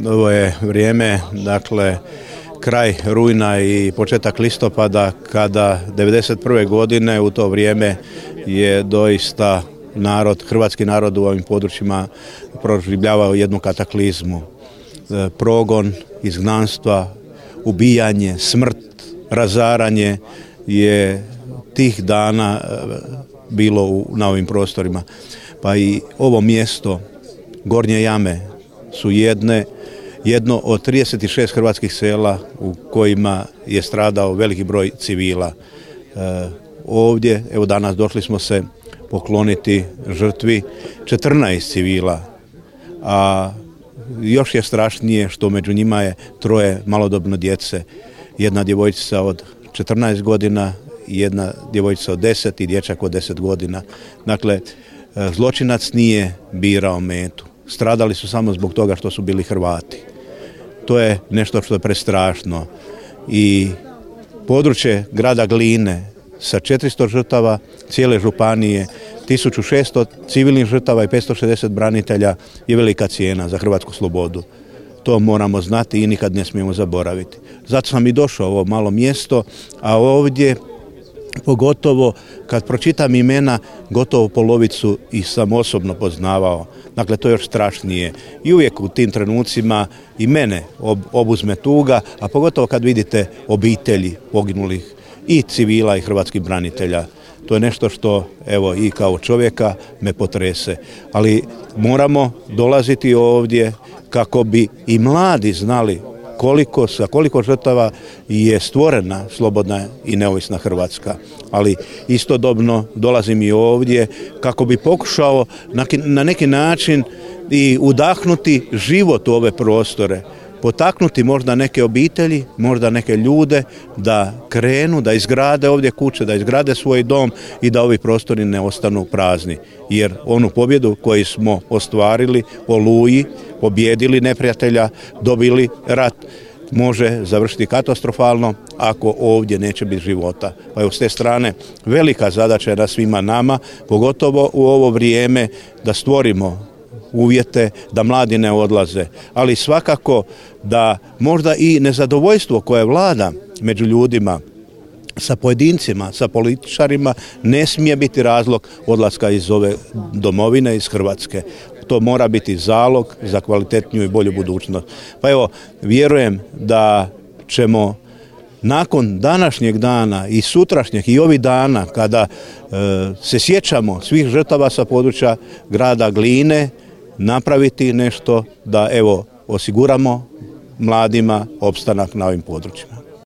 ovo je vrijeme, dakle, kraj rujna i početak listopada, kada 1991. godine u to vrijeme je doista hrvatski narod u ovim područjima proživljavao jednu kataklizmu. Progon, izgnanstva, ubijanje, smrt, razaranje je tih dana bilo na ovim prostorima. Pa i ovo mjesto, Gornje Jame, su jedno od 36 hrvatskih sela u kojima je stradao veliki broj civila. Ovdje, evo danas došli smo se pokloniti žrtvi 14 civila, a još je strašnije što među njima je 3 malodobno djece. Jedna djevojčica od 14 godina, jedna djevojčica od 10 i dječak od 10 godina. Dakle, zločinac nije birao metu. Stradali su samo zbog toga što su bili Hrvati. To je nešto što je prestrašno. I područje grada Gline sa 400 žrtava cijele županije, 1600 civilnih žrtava i 560 branitelja je velika cijena za hrvatsku slobodu. To moramo znati i nikad ne smijemo zaboraviti. Zato sam i došao u ovo malo mjesto, a ovdje pogotovo kad pročitam imena, gotovo polovicu ih sam osobno poznavao. Dakle, to je još strašnije. I uvijek u tim trenucima i mene obuzme tuga, a pogotovo kad vidite obitelji poginulih i civila i hrvatskih branitelja. To je nešto što, evo, i kao čovjeka me potrese. Ali moramo dolaziti ovdje kako bi i mladi znali sa koliko žrtava je stvorena slobodna i neovisna Hrvatska. Ali istodobno dolazim i ovdje kako bi pokušao na neki način i udahnuti život u ove prostore, potaknuti možda neke obitelji, možda neke ljude da krenu, da izgrade ovdje kuće, da izgrade svoj dom i da ovi prostori ne ostanu prazni. Jer onu pobjedu koju smo ostvarili u Oluji, pobjedili neprijatelja, dobili rat, može završiti katastrofalno ako ovdje neće biti života. Pa je s te strane velika zadaća na svima nama, pogotovo u ovo vrijeme, da stvorimo uvjete da mladi ne odlaze, ali svakako da možda i nezadovoljstvo koje vlada među ljudima, sa pojedincima, sa političarima, ne smije biti razlog odlaska iz ove domovine, iz Hrvatske. To mora biti zalog za kvalitetniju i bolju budućnost. Pa evo, vjerujem da ćemo nakon današnjeg dana i sutrašnjeg i ovih dana, kada se sjećamo svih žrtava sa područja grada Gline, napraviti nešto da, evo, osiguramo mladima opstanak na ovim područjima.